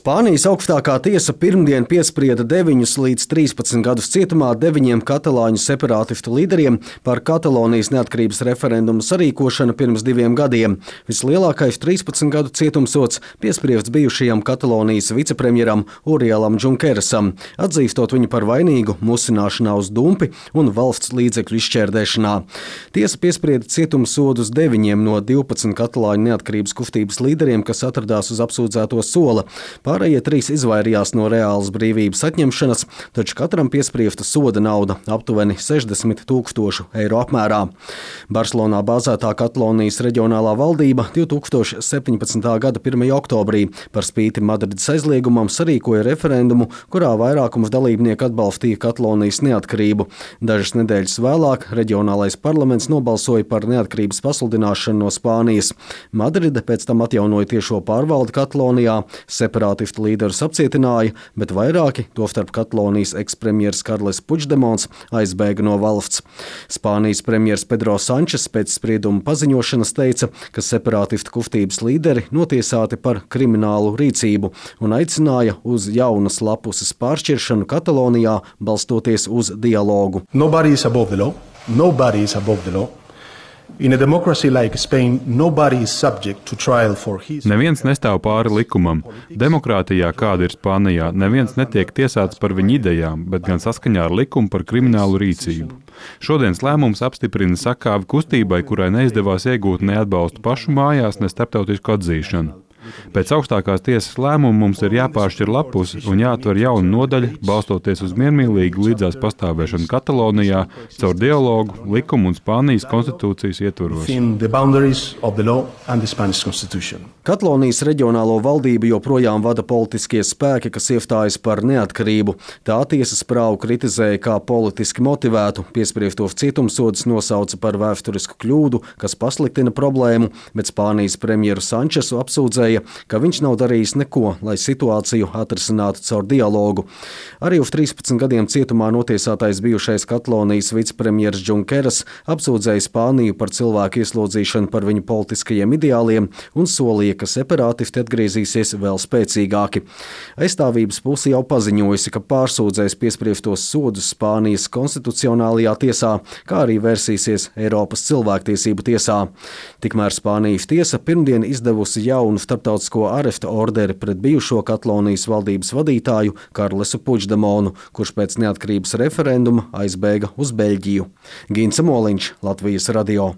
Spānijas augstākā tiesa pirmdien piesprieda 9 līdz 13 gadus cietumā 9 katalāņu separātistu līderiem par Katalonijas neatkarības referendumu sarīkošanu pirms 2 gadiem. Vislielākais 13 gadu cietumsods piespriests bijušajam Katalonijas vicepremjeram Orielam Junquerasam, atzīstot viņu par vainīgu musināšanā uz dumpi un valsts līdzekļu izšķērdēšanā. Tiesa piesprieda cietumsodus 9 no 12 katalāņu neatkarības kustības līderiem, kas atradās uz apsūdzēto sola. Pārējie 3 izvairījās no reālas brīvības atņemšanas, taču katram piespriesta soda nauda aptuveni 60 000 eiro apmērā. Barcelonā bāzētā Katalonijas reģionālā valdība 2017. gada 1. oktobrī par spīti Madrides aizliegumam sarīkoja referendumu, kurā vairākums dalībnieku atbalstīja Katalonijas neatkarību. Dažas nedēļas vēlāk reģionālais parlaments nobalsoja par neatkarības pasludināšanu no Spānijas. Madride pēc tam atjaunoja tiešo pārvaldi Katalonijā, separātistu līderus apcietināja, bet vairāki, tostarp Katalonijas ekspremjeras Karles Puigdemons, aizbēga no valsts. Spānijas premjers Pedro Sančes pēc sprieduma paziņošanas teica, ka separātistu kustības līderi notiesāti par kriminālu rīcību un aicināja uz jaunas lapuses pāršķiršanu Katalonijā, balstoties uz dialogu. Nobody is above the law. Nobody is above the law. In a democracy like Spain, nobody is subject to trial for his... Neviens nestāv pāri likumam. Demokrātijā, kāda ir Spānijā, neviens netiek tiesāts par viņu idejām, bet gan saskaņā ar likumu par kriminālu rīcību. Šodienas lēmums apstiprina sakāvi kustībai, kurai neizdevās iegūt ne atbalstu pašu mājās, ne starptautisku atzīšanu. Pēc augstākās tiesas lēmuma mums ir jāpāršķir lapus un jāatver jauna nodaļa, balstoties uz miermīlīgu līdzās pastāvēšanu Katalonijā, caur dialogu, likumu un Spānijas konstitūcijas ietvaros. Katalonijas reģionālo valdību joprojām vada politiskie spēki, kas iestājas par neatkarību. Tā tiesas prāvu kritizēja kā politiski motivētu, piespriestos cietumsodus nosauca par vēsturisku kļūdu, kas pasliktina problēmu, bet Spānijas premjeru Sančesu apsūdzēja, ka viņš nav darījis neko, lai situāciju atrisinātu caur dialogu. Arī uz 13 gadiem cietumā notiesātais bijušais Katalonijas vicepremjers Junqueras apsūdzēja Spāniju par cilvēku ieslodzīšanu par viņu politiskajiem ideāliem un solīja, ka separātisti atgriezīsies vēl spēcīgāki. Aizstāvības puse jau paziņojusi, ka pārsūdzēs piespriestos sodus Spānijas konstitucionālajā tiesā, kā arī vērsīsies Eiropas cilvēktiesību tiesā. Tikmēr Spānijas tiesa pirmdien izdevusi jaunu starptautisko aresta orderi pret bijušo Katalonijas valdības vadītāju Karlesu Puigdemonu, kurš pēc neatkarības referenduma aizbēga uz Beļģiju. Gints Moliņš, Latvijas radio.